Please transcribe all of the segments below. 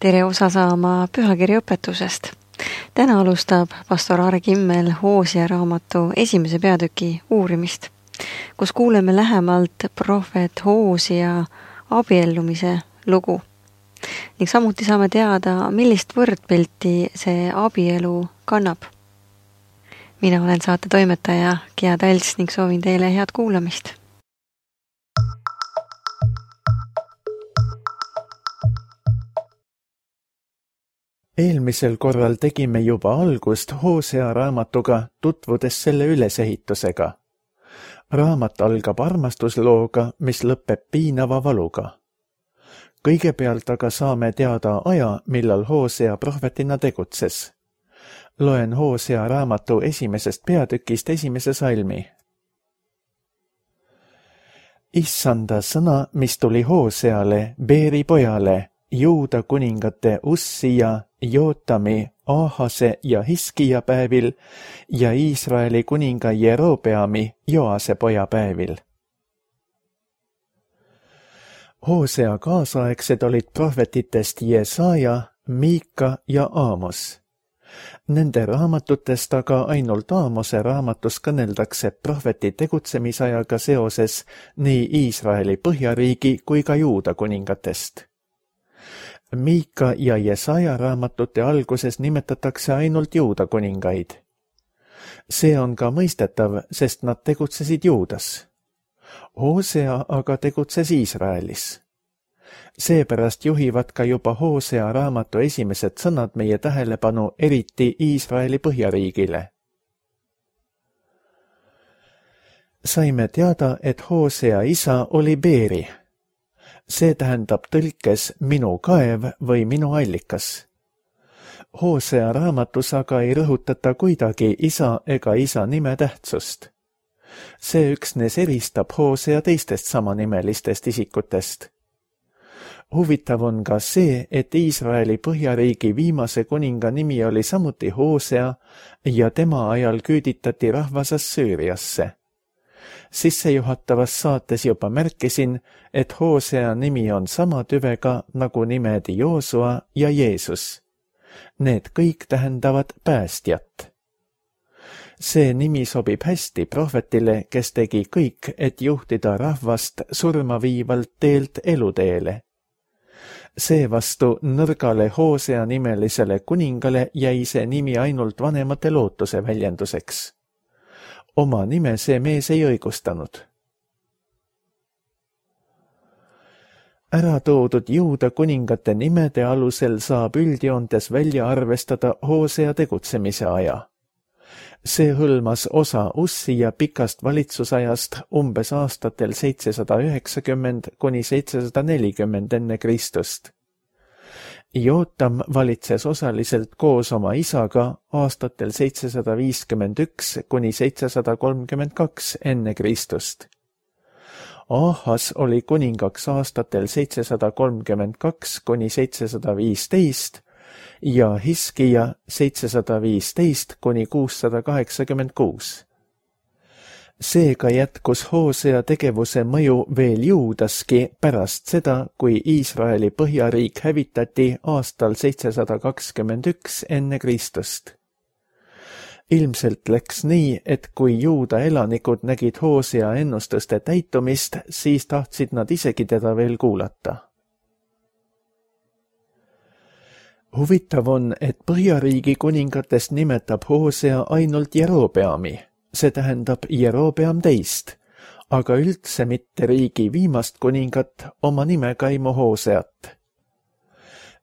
Tere osa saama pühakirja õpetusest. Täna alustab pastor Aare Kimmel Hoosia raamatu esimese peatüki uurimist, kus kuuleme lähemalt prohvet Hoosia abiellumise lugu. Ning samuti saame teada, millist võrdpilti see abielu kannab. Mina olen saate toimetaja Gia Talts ning soovin teile head kuulamist. Eelmisel korral tegime juba algust Hoosia raamatuga, tutvudes selle ülesehitusega. Raamat algab armastuslooga, mis lõpeb piinava valuga. Kõigepealt aga saame teada aja, millal Hoosia prohvetina tegutses. Loen Hoosia raamatu esimesest peatükist esimese salmi. Issanda sõna, mis tuli Hooseale, Beeri pojale, Juuda kuningate Ussija, Jootami, Aahase ja Hiskija päevil ja Iisraeli kuninga Jerobeami, Joase poja päevil. Hoosea kaasaegsed olid prohvetitest Jesaja, Miika ja Aamos. Nende raamatutest aga ainult Aamose raamatus kõneldakse prohveti tegutsemisajaga seoses nii Iisraeli põhjariigi kui ka Juuda kuningatest. Miika ja Jesaja raamatute alguses nimetatakse ainult Juuda kuningaid. See on ka mõistetav, sest nad tegutsesid Juudas. Hoosea aga tegutses Iisraelis. Seepärast juhivad ka juba Hoosea raamatu esimesed sõnad meie tähelepanu eriti Iisraeli põhjariigile. Saime teada, et Hoosea isa oli Beeri. See tähendab tõlkes minu kaev või minu allikas. Hoosea raamatus aga ei rõhutata kuidagi isa ega isa nime tähtsust. See üksnes eristab Hoosea teistest samanimelistest isikutest. Huvitav on ka see, et Iisraeli põhjariigi viimase kuninga nimi oli samuti Hoosea ja tema ajal küüditati rahvas Assüüriasse. Sissejuhatavas saates juba märkisin, et Hoosea nimi on sama tüvega nagu nimed Joosua ja Jeesus. Need kõik tähendavad päästjat. See nimi sobib hästi prohvetile, kes tegi kõik, et juhtida rahvast surma viivalt teelt eluteele. Seevastu nõrgale Hoosea nimelisele kuningale jäi see nimi ainult vanemate lootuse väljenduseks. Oma nime see mees ei õigustanud. Ära toodud Juuda kuningate nimede alusel saab üldjoontes välja arvestada Hoosea tegutsemise aja. See hõlmas osa Ussija pikast valitsusajast umbes aastatel 790 kuni 740 enne Kristust. Jootam valitses osaliselt koos oma isaga aastatel 751 kuni 732 enne Kristust. Aahas oli kuningaks aastatel 732 kuni 715 ja Hiskija 715 kuni 686. Seega jätkus Hoosea tegevuse mõju veel Juudaski pärast seda, kui Iisraeli põhjariik hävitati aastal 721 enne Kristust. Ilmselt läks nii, et kui Juuda elanikud nägid Hoosea ennustuste täitumist, siis tahtsid nad isegi teda veel kuulata. Huvitav on, et põhjariigi kuningatest nimetab Hoosea ainult Jerobeami. See tähendab Jerobeam teist, aga üldse mitte riigi viimast kuningat oma nimekaimu Hooseat.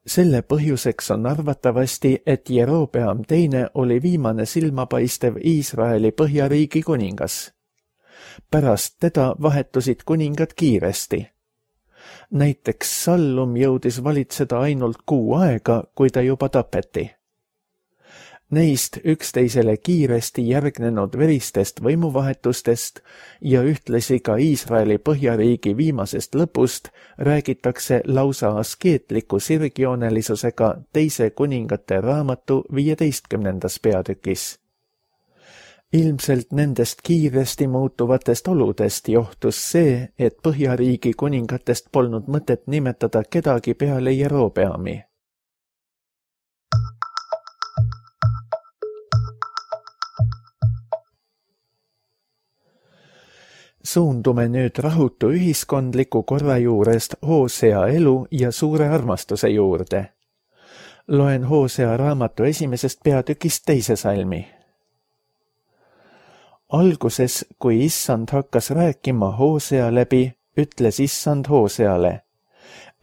Selle põhjuseks on arvatavasti, et Jerobeam teine oli viimane silmapaistev Iisraeli põhjariigi kuningas. Pärast teda vahetusid kuningad kiiresti. Näiteks Sallum jõudis valitseda ainult 6 aega, kui ta juba tapeti. Neist üksteisele kiiresti järgnenud veristest võimuvahetustest ja ühtlasi ka Iisraeli põhjariigi viimasest lõpust räägitakse lausa askeetliku sirgjoonelisusega teise kuningate raamatu 15. peatükis. Ilmselt nendest kiiresti muutuvatest oludest johtus see, et põhjariigi kuningatest polnud mõtet nimetada kedagi peale Jerobeami. Suundume nüüd rahutu ühiskondliku korra juurest Hosea elu ja suure armastuse juurde. Loen Hosea raamatu 1. peatükist 2. salmi. Alguses, kui issand hakkas rääkima Hosea läbi, ütles issand Hoseale: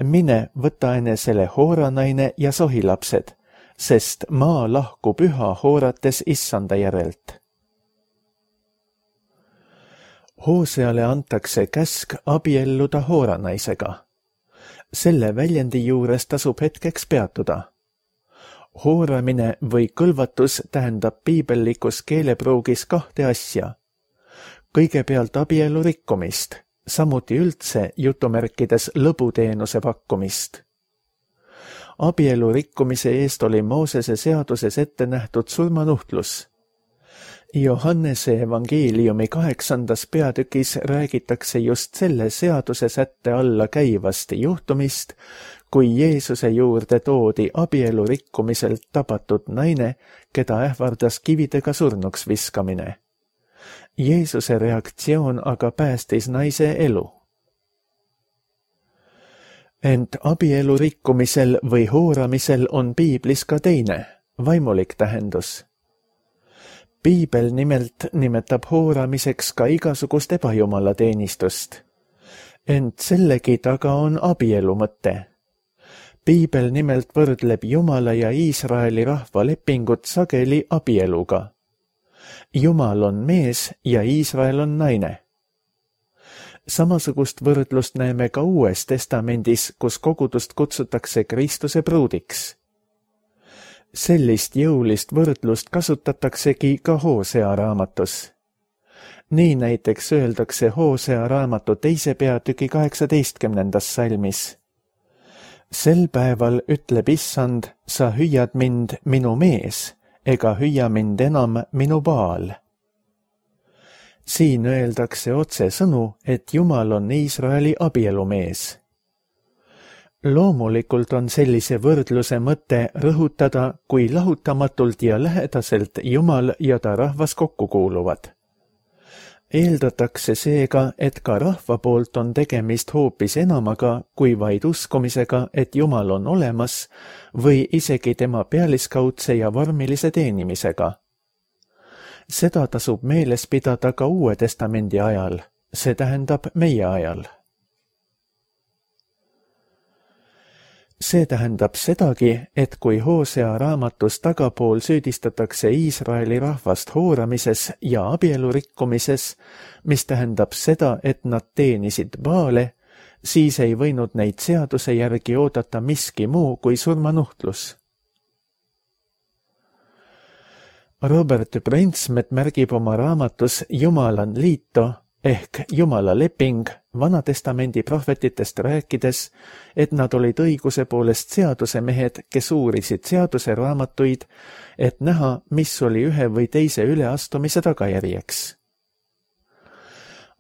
mine, võta enesele hooranaine ja sohilapsed, sest maa lahkub üha hoorates issanda järelt. Hoseale antakse käsk abielluda hooranaisega. Selle väljendi juures tasub hetkeks peatuda. Hooramine või kõlvatus tähendab piibellikus keelepruugis 2 asja. Kõigepealt abielu rikkumist, samuti üldse jutumärkides lõbuteenuse pakkumist. Abielu rikkumise eest oli Moosese seaduses ette nähtud surmanuhtlus. Johannese evangeeliumi 8. peatükis räägitakse just selle seaduse sätte alla käivast juhtumist, kui Jeesuse juurde toodi abielu rikkumiselt tabatud naine, keda ähvardas kividega surnuks viskamine. Jeesuse reaktsioon aga päästis naise elu. Ent abielu rikkumisel või hooramisel on piiblis ka teine, vaimulik tähendus. Piibel nimelt nimetab hooramiseks ka igasugust ebajumalateenistust. Ent sellegi taga on abielu mõte. Piibel nimelt võrdleb Jumala ja Iisraeli rahva lepingut sageli abieluga. Jumal on mees ja Iisrael on naine. Samasugust võrdlust näeme ka Uues Testamendis, kus kogudust kutsutakse Kristuse pruudiks. Sellist jõulist võrdlust kasutataksegi ka Hosea raamatus. Nii näiteks öeldakse Hosea raamatu 2. peatüki 18. salmis. Sel päeval ütleb issand, sa hüüad mind minu mees, ega hüüa mind enam minu Baal. Siin öeldakse otsesõnu, et Jumal on Iisraeli abielumees. Loomulikult on sellise võrdluse mõte rõhutada, kui lahutamatult ja lähedaselt Jumal ja ta rahvas kokku kuuluvad. Eeldatakse seega, et ka rahva poolt on tegemist hoopis enamaga kui vaid uskumisega, et Jumal on olemas, või isegi tema pealiskaudse ja vormilise teenimisega. Seda tasub meeles pidada ka Uue Testamendi ajal, see tähendab meie ajal. See tähendab sedagi, et kui Hosea raamatus tagapool süüdistatakse Iisraeli rahvast hooramises ja abielu rikkumises, mis tähendab seda, et nad teenisid Baale, siis ei võinud neid seaduse järgi oodata miski muu kui surmanuhtlus. Robert Breinsmet märgib oma raamatus Jumalan liito ehk Jumala leping Vanatestamendi prohvetitest rääkides, et nad olid õiguse poolest seadusemehed, kes uurisid seaduse raamatuid, et näha, mis oli ühe või teise üleastumise tagajärjeks.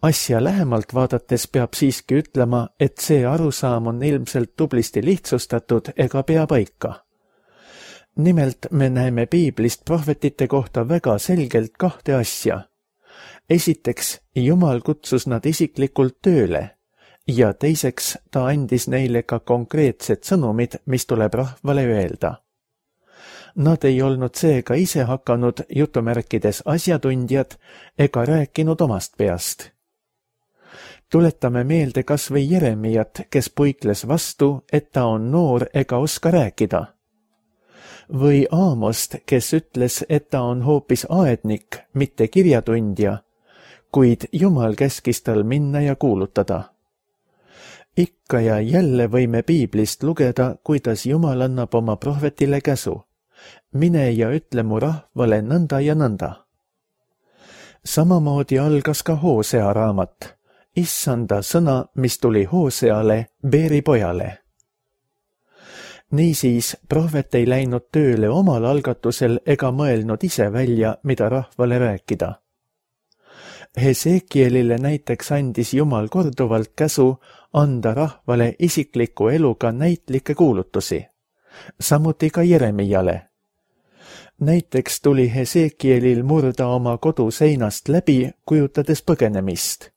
Asja lähemalt vaadates peab siiski ütlema, et see arusaam on ilmselt tublisti lihtsustatud ega pea paika. Nimelt me näeme piiblist prohvetite kohta väga selgelt 2 asja. Esiteks, Jumal kutsus nad isiklikult tööle ja teiseks ta andis neile ka konkreetsed sõnumid, mis tuleb rahvale öelda. Nad ei olnud seega ise hakanud jutumärkides asjatundjad ega rääkinud omast peast. Tuletame meelde kas või Jeremiat, kes puikles vastu, et ta on noor ega oska rääkida. Või Aamost, kes ütles, et ta on hoopis aednik, mitte kirjatundja, kuid Jumal käskis tal minna ja kuulutada. Ikka ja jälle võime piiblist lugeda, kuidas Jumal annab oma prohvetile käsu. Mine ja ütle mu rahvale nõnda ja nõnda. Samamoodi algas ka Hosea raamat, issanda sõna, mis tuli Hoseale, Beeri pojale. Niisiis, prohvet ei läinud tööle omal algatusel ega mõelnud ise välja, mida rahvale rääkida. Hesekielile näiteks andis Jumal korduvalt käsu anda rahvale isikliku eluga näitlikke kuulutusi, samuti ka Jeremiale. Näiteks tuli Hesekielil murda oma kodu seinast läbi, kujutades põgenemist.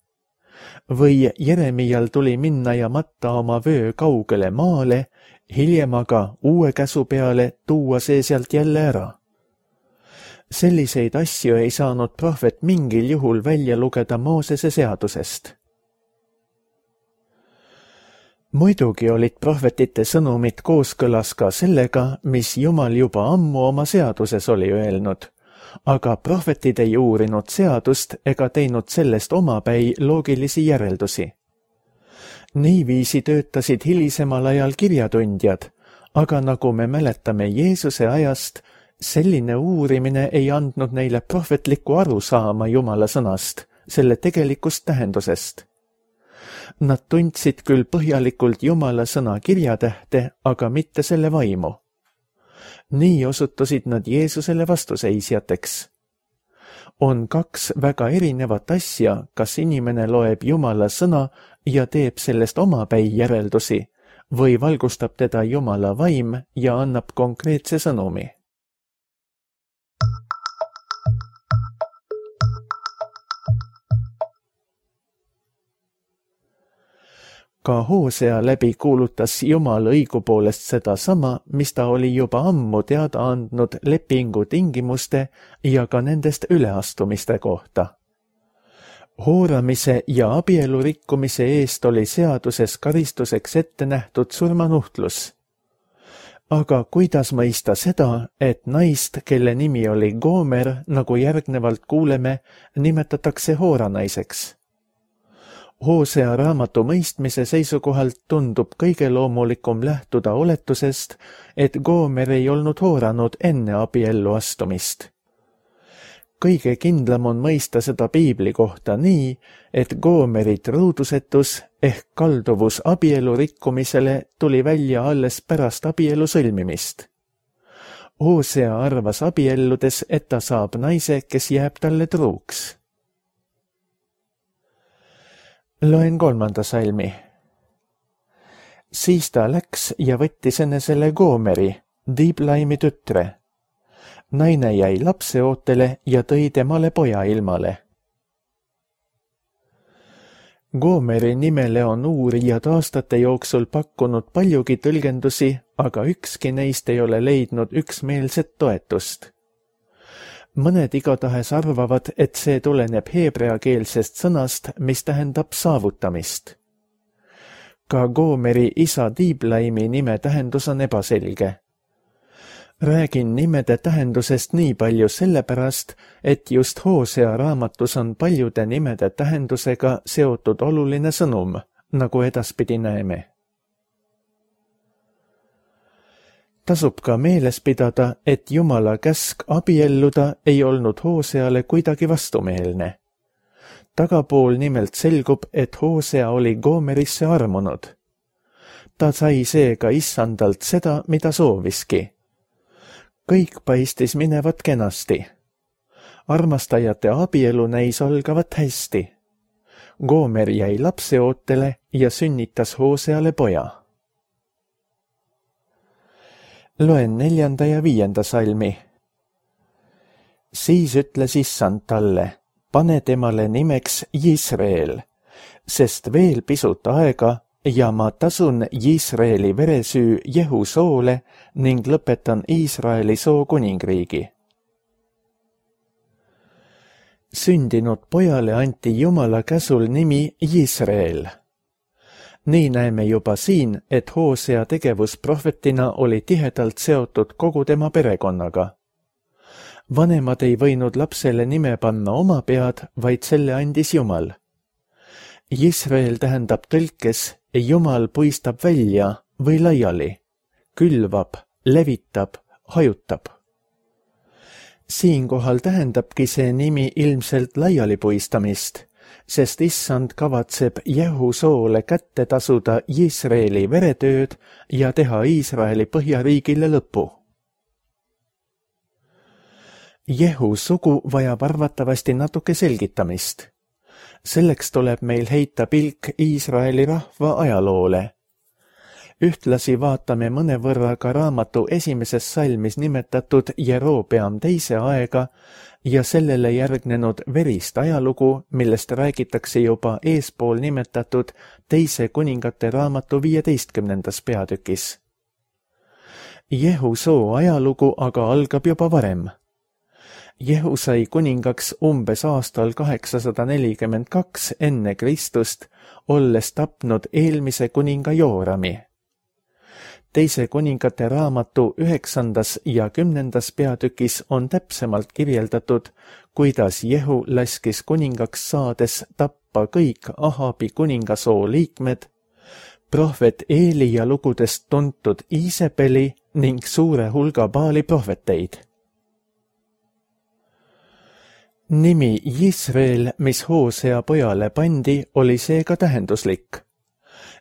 või Jeremial tuli minna ja matta oma vöö kaugele maale, hiljem aga uue käsu peale tuua see sealt jälle ära. Selliseid asju ei saanud prohvet mingil juhul välja lugeda Moosese seadusest. Muidugi olid prohvetite sõnumid kooskõlas ka sellega, mis Jumal juba ammu oma seaduses oli öelnud, aga prohvetid ei uurinud seadust ega teinud sellest omapäi loogilisi järeldusi. Niiviisi töötasid hilisemal ajal kirjatundjad, aga nagu me mäletame Jeesuse ajast, selline uurimine ei andnud neile prohvetlikku arusaama Jumala sõnast, selle tegelikust tähendusest. Nad tundsid küll põhjalikult Jumala sõna kirjatähte, aga mitte selle vaimu. Nii osutusid nad Jeesusele vastuseisjateks. On kaks väga erinevat asja, kas inimene loeb Jumala sõna ja teeb sellest omapäi järeldusi või valgustab teda Jumala vaim ja annab konkreetse sõnumi. Ka Hoosea läbi kuulutas Jumal õigupoolest seda sama, mis ta oli juba ammu teada andnud lepingu tingimuste ja ka nendest üleastumiste kohta. Hooramise ja abielu rikkumise eest oli seaduses karistuseks ette nähtud surmanuhtlus. Aga kuidas mõista seda, et naist, kelle nimi oli Goomer, nagu järgnevalt kuuleme, nimetatakse hooranaiseks? Hoosea raamatu mõistmise seisukohalt tundub kõige loomulikum lähtuda oletusest, et Goomer ei olnud hooranud enne abiellu astumist. Kõige kindlam on mõista seda piibli kohta nii, et Goomeri truudusetus ehk kalduvus abielu rikkumisele tuli välja alles pärast abielu sõlmimist. Hoosea arvas abielludes, et ta saab naise, kes jääb talle truuks. Loen 3. salmi. Siis ta läks ja võttis enesele Goomeri, Diblaimi tütre. Naine jäi lapseootele ja tõi temale poja ilmale. Goomeri nimele on uurijad aastate jooksul pakkunud paljugi tõlgendusi, aga ükski neist ei ole leidnud üksmeelset toetust. Mõned igatahes arvavad, et see tuleneb heebreakeelsest sõnast, mis tähendab saavutamist. Ka Goomeri isa Diblaimi nime tähendus on ebaselge. Räägin nimede tähendusest nii palju sellepärast, et just Hoosea raamatus on paljude nimede tähendusega seotud oluline sõnum, nagu edaspidi näeme. Tasub ka meeles pidada, et Jumala käsk abielluda ei olnud Hooseale kuidagi vastumeelne. Tagapool nimelt selgub, et Hoosea oli Goomerisse armunud. Ta sai seega issandalt seda, mida sooviski. Kõik paistis minevat kenasti. Armastajate abielu näis algavat hästi. Goomer jäi lapseootele ja sünnitas Hooseale poja. Loen 4. ja 5. salmi. Siis ütles issand talle, pane temale nimeks Jisreel, sest veel pisut aega ja ma tasun Jisreeli veresüü Jehu soole ning lõpetan Iisraeli soo kuningriigi. Sündinud pojale anti Jumala käsul nimi Jisreel. Nii näeme juba siin, et Hoosea tegevus prohvetina oli tihedalt seotud kogu tema perekonnaga. Vanemad ei võinud lapsele nime panna oma pead, vaid selle andis Jumal. Jisreel tähendab tõlkes Jumal puistab välja või laiali, külvab, levitab, hajutab. Siinkohal tähendabki see nimi ilmselt laialipuistamist, sest issand kavatseb Jehu soole kätte tasuda Jisreeli veretööd ja teha Iisraeli põhjariigile lõpu. Jehu sugu vajab arvatavasti natuke selgitamist. Selleks tuleb meil heita pilk Iisraeli rahva ajaloole. Ühtlasi vaatame mõnevõrra ka raamatu esimeses salmis nimetatud Jerobeam teise aega ja sellele järgnenud verist ajalugu, millest räägitakse juba eespool nimetatud teise kuningate raamatu 15. peatükis. Jehu soo ajalugu aga algab juba varem. Jehu sai kuningaks umbes aastal 842 enne Kristust, olles tapnud eelmise kuninga Joorami. Teise kuningate raamatu 9. ja 10. peatükis on täpsemalt kirjeldatud, kuidas Jehu laskis kuningaks saades tappa kõik Ahabi kuningasoo liikmed, prohvet Eeli ja lugudest tuntud Iisebeli ning suure hulga Baali prohveteid. Nimi Jisreel, mis Hoosea pojale pandi, oli seega tähenduslik.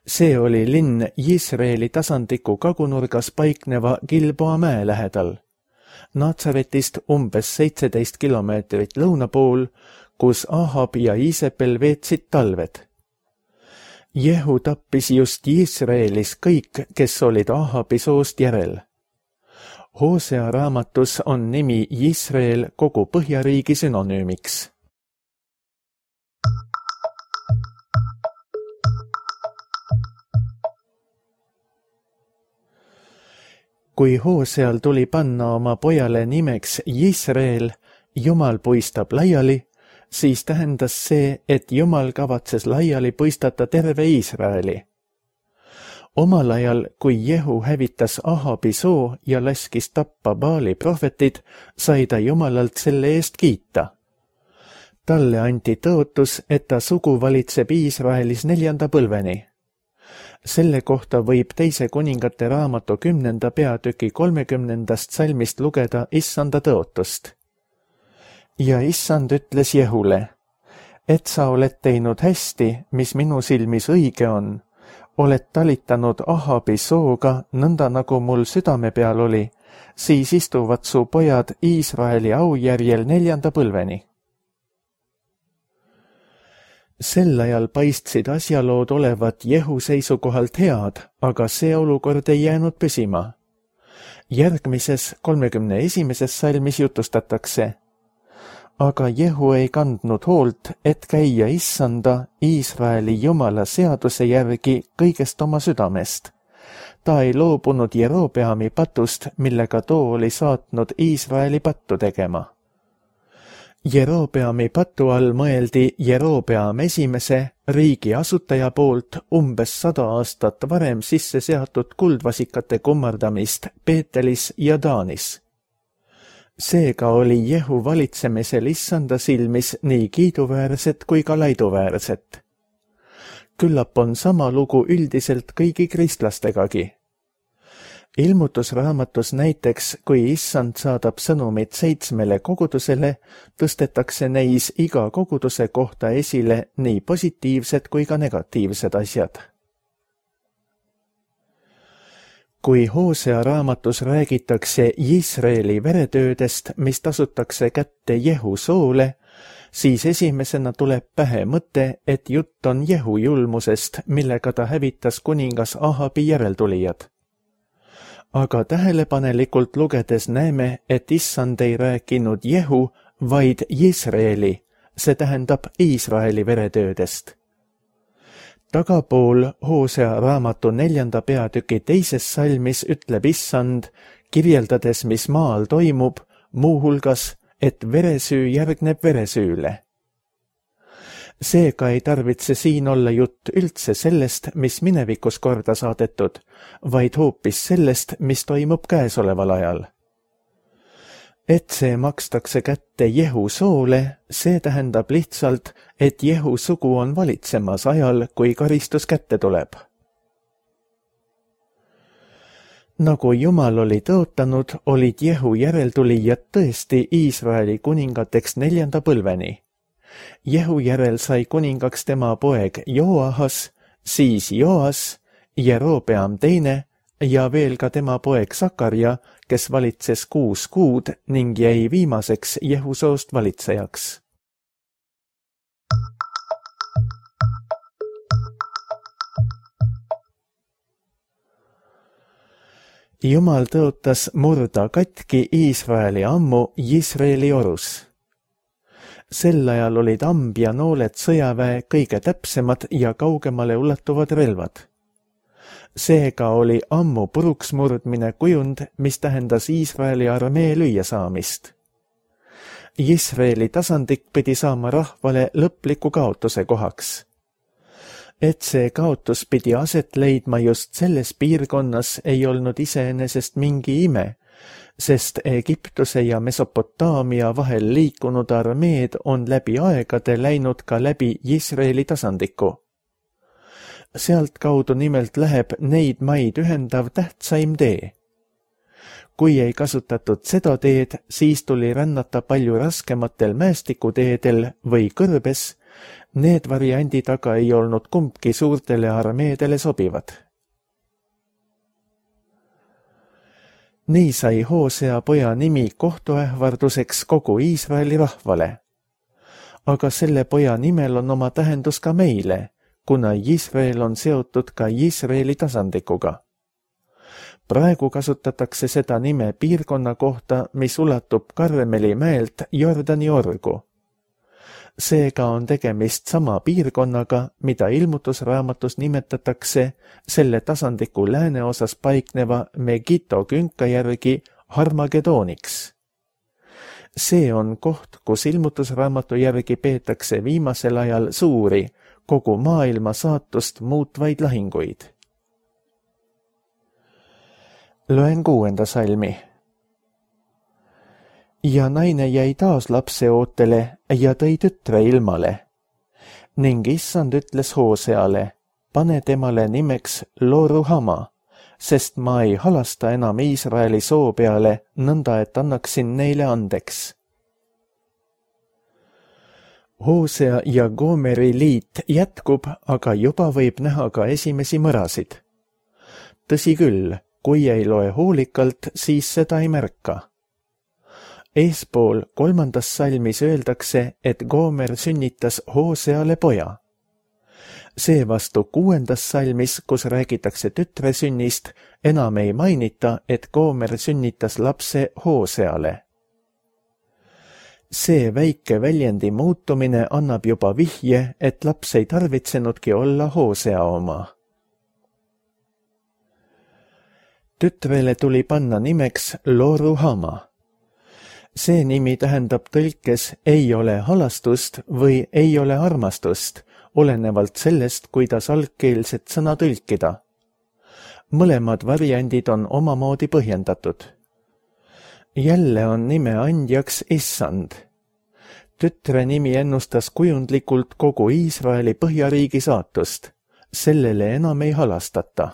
See oli linn Jisreeli tasandiku kagunurgas paikneva Gilboa mäe lähedal, Natsaretist umbes 17 kilomeetrit lõuna pool, kus Ahab ja Iisebel veetsid talved. Jehu tappis just Jisreelis kõik, kes olid Ahabi soost järel. Hoosea raamatus on nimi Jisreel kogu Põhjariigi sünonüümiks. Kui Hooseal tuli panna oma pojale nimeks Jisreel, Jumal puistab laiali, siis tähendas see, et Jumal kavatses laiali puistata terve Iisraeli. Omal ajal, kui Jehu hävitas Ahabi soo ja laskis tappa Baali prohvetid, sai ta Jumalalt selle eest kiita. Talle anti tõotus, et ta sugu valitseb Iisraelis 4. põlveni. Selle kohta võib teise kuningate raamatu 10. peatüki 30. salmist lugeda Issanda tõotust. Ja Issand ütles Jehule, et sa oled teinud hästi, mis minu silmis õige on, oled talitanud Ahabi sooga, nõnda nagu mul südame peal oli, siis istuvad su pojad Iisraeli aujärjel 4. põlveni. Sel ajal paistsid asjalood olevat Jehu seisukohalt head, aga see olukord ei jäänud püsima. Järgmises 31. salmis jutustatakse, aga Jehu ei kandnud hoolt, et käia Issanda, Iisraeli Jumala seaduse järgi kõigest oma südamest. Ta ei loobunud Jerobeami patust, millega too oli saatnud Iisraeli pattu tegema. Jerobeami patu all mõeldi Jerobeam esimese, riigi asutaja poolt umbes 100 aastat varem sisse seatud kuldvasikate kummardamist Peetelis ja Daanis. Seega oli Jehu valitsemisel Issanda silmis nii kiiduväärset kui ka laiduväärset. Küllap on sama lugu üldiselt kõigi kristlastegagi. Ilmutusraamatus näiteks, kui Issand saadab sõnumid 7 kogudusele, tõstetakse neis iga koguduse kohta esile nii positiivsed kui ka negatiivsed asjad. Kui Hoosea raamatus räägitakse Jisreeli veretöödest, mis tasutakse kätte Jehu soole, siis esimesena tuleb pähe mõte, et jutt on Jehu julmusest, millega ta hävitas kuningas Ahabi järeltulijad. Aga tähelepanelikult lugedes näeme, et Issand ei rääkinud Jehu, vaid Jisreeli, see tähendab Iisraeli veretöödest. Tagapool Hoosea raamatu 4. peatüki 2. salmis ütleb Issand, kirjeldades, mis maal toimub, muuhulgas, et veresüü järgneb veresüüle. Seega ei tarvitse siin olla jutt üldse sellest, mis minevikus korda saadetud, vaid hoopis sellest, mis toimub käesoleval ajal. Et see makstakse kätte Jehu soole, see tähendab lihtsalt, et Jehu sugu on valitsemas ajal, kui karistus kätte tuleb. Nagu Jumal oli tõotanud, olid Jehu järeltulijad tõesti Iisraeli kuningateks 4. põlveni. Jehu järel sai kuningaks tema poeg Joahas, siis Joas, Jerobeam teine ja veel ka tema poeg Sakarja, kes valitses 6 kuud ning jäi viimaseks Jehu soost valitsejaks. Jumal tõotas murda katki Iisraeli ammu Jisraeli orus. Sel ajal olid amb ja nooled sõjaväe kõige täpsemad ja kaugemale ulatuvad relvad. Seega oli ammu puruks murdmine kujund, mis tähendas Iisraeli armee lüüa saamist. Jisraeli tasandik pidi saama rahvale lõpliku kaotuse kohaks. Et see kaotus pidi aset leidma just selles piirkonnas ei olnud iseenesest mingi ime, sest Egiptuse ja Mesopotaamia vahel liikunud armeed on läbi aegade läinud ka läbi Jisraeli tasandiku. Sealt kaudu nimelt läheb neid maid ühendav tähtsaim tee. Kui ei kasutatud seda teed, siis tuli rännata palju raskematel mäestikuteedel või kõrbes. Need variandid aga ei olnud kumbki suurtele armeedele sobivad. Nii sai Hoosea poja nimi kohtuähvarduseks kogu Iisraeli rahvale. Aga selle poja nimel on oma tähendus ka meile, kuna Jisrael on seotud ka Jisraeli tasandikuga. Praegu kasutatakse seda nime piirkonna kohta, mis ulatub Karmeli mäelt Jordani orgu. Seega on tegemist sama piirkonnaga, mida ilmutusraamatus nimetatakse selle tasandiku lääneosas paikneva Megiddo künka järgi Harmagedooniks. See on koht, kus ilmutusraamatu järgi peetakse viimasel ajal suuri, kogu maailma saatust muutvaid lahinguid. Loen 6. salmi. Ja naine jäi taas lapse ootele ja tõi tütre ilmale. Ning issand ütles Hooseale, pane temale nimeks Lo-Ruhama, sest ma ei halasta enam Iisraeli soo peale, nõnda et annaksin neile andeks. Hoosea ja Gomeri liit jätkub, aga juba võib näha ka esimesi mõrasid. Tõsi küll, kui ei loe hoolikalt, siis seda ei märka. Eespool 3. salmis öeldakse, et Gomer sünnitas Hooseale poja. Seevastu 6. salmis, kus räägitakse tütre sünnist, enam ei mainita, et Gomer sünnitas lapse Hooseale. See väike väljendi muutumine annab juba vihje, et laps ei tarvitsenudki olla Hoosea oma. Tütrele tuli panna nimeks Lo-Ruhama. See nimi tähendab tõlkes ei ole halastust või ei ole armastust, olenevalt sellest, kuidas algkeelset sõna tõlkida. Mõlemad variandid on omamoodi põhjendatud. Jälle on nime andjaks issand. Tütre nimi ennustas kujundlikult kogu Iisraeli põhjariigi saatust. Sellele enam ei halastata.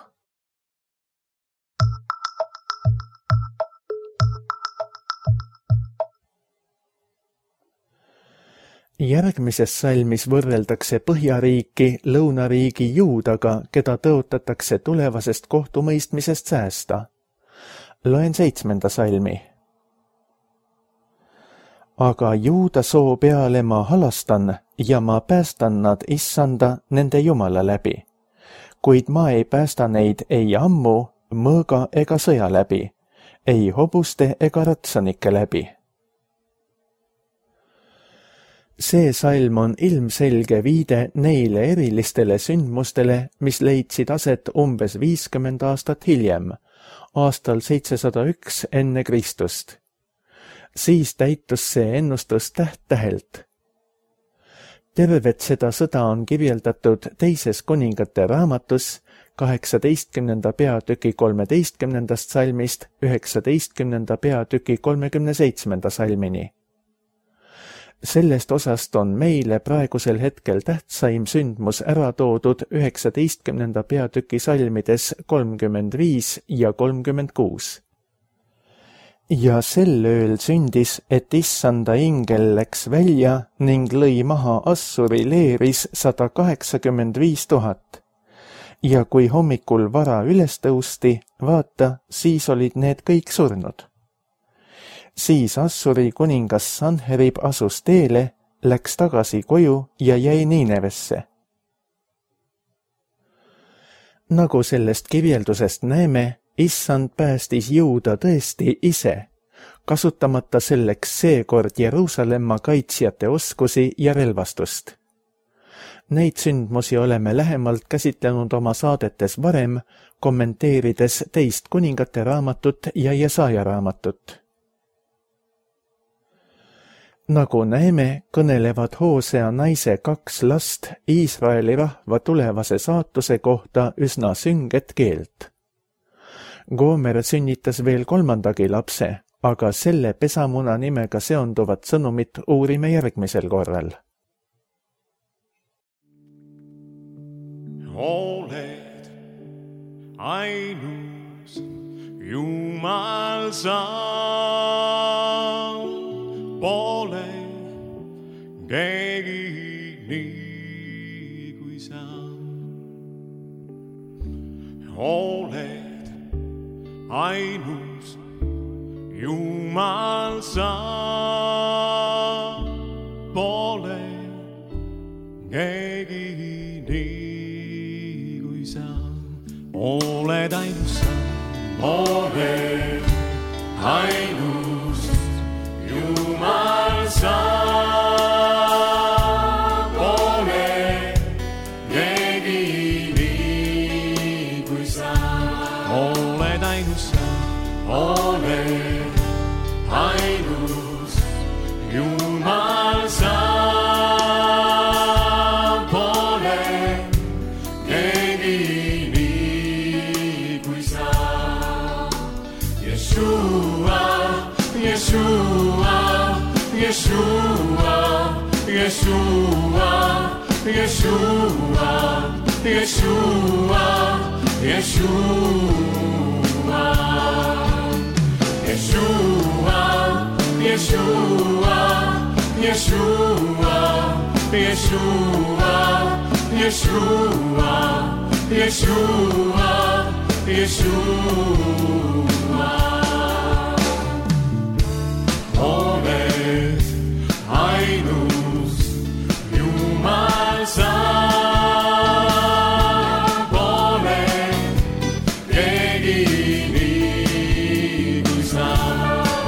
Järgmises salmis võrreldakse põhjariiki lõunariigi Juudaga, keda tõotatakse tulevasest kohtumõistmisest säästa. Loen 7. salmi. Aga Juuda soo peale ma halastan ja ma päästan nad issanda nende Jumala läbi. Kuid ma ei päästa neid ei ammu, mõõga ega sõja läbi, ei hobuste ega ratsanike läbi. See salm on ilmselge viide neile erilistele sündmustele, mis leidsid aset umbes 50 aastat hiljem, aastal 701 enne Kristust. Siis täitus see ennustus täht-tähelt. Tervet seda sõda on kirjeldatud 2. kuningate raamatus 18. peatüki 13. salmist 19. peatüki 37. salmini. Sellest osast on meile praegusel hetkel tähtsaim sündmus ära toodud 19. peatüki salmides 35 ja 36. Ja sel ööl sündis, et issanda ingel läks välja ning lõi maha Assuri leeris 185 000. Ja kui hommikul vara üles tõusti, vaata, siis olid need kõik surnud. Siis Assuri kuningas Sanherib asus teele, läks tagasi koju ja jäi Niinevesse. Nagu sellest kirjeldusest näeme, Issand päästis Juuda tõesti ise, kasutamata selleks seekord Jeruusalemma kaitsjate oskusi ja relvastust. Neid sündmusi oleme lähemalt käsitlenud oma saadetes varem, kommenteerides 2 kuningate raamatut ja Jesaja raamatut. Nagu näeme, kõnelevad Hoosea naise 2 last Iisraeli rahva tulevase saatuse kohta üsna sünget keelt. Gomer sünnitas veel 3. lapse, aga selle pesamuna nimega seonduvat sõnumit uurime järgmisel korral. Oled ainus Jumal sa, pole keegi nii kui sa. Oled ainus Jumal sa, pole keegi nii kui sa. Oled ainus sa, oled ainus Jumal sa, pole keegi nii kui sa. Oled ainus sa, oled ainus Jumal sa, pole keegi nii kui sa. Yeshua, Yeshua, Yeshua, Yeshua, Yeshua, Yeshua, Yeshua, Yeshua, Yeshua, Yeshua, Yeshua, Yeshua, Yeshua, Yeshua. Oled ainus Jumal sa, pole keegi nii kui sa.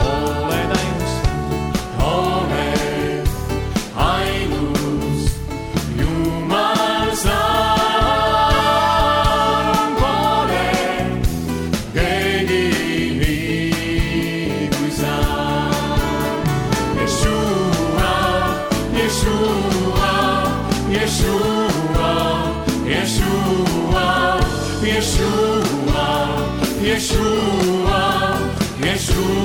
Oled ainus, oled ainus Jumal sa, pole keegi nii kui sa. Yeshua, Yeshua, Yeshua, Yeshua, Yeshua, Yeshua, Yeshua,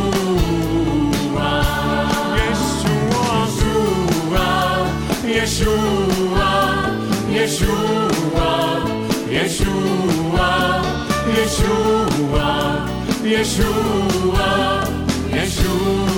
Yeshua, Yeshua, Yeshua, Yeshua, Yeshua, Yeshua.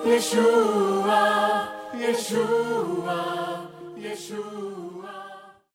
Yeshua, Yeshua, Yeshua.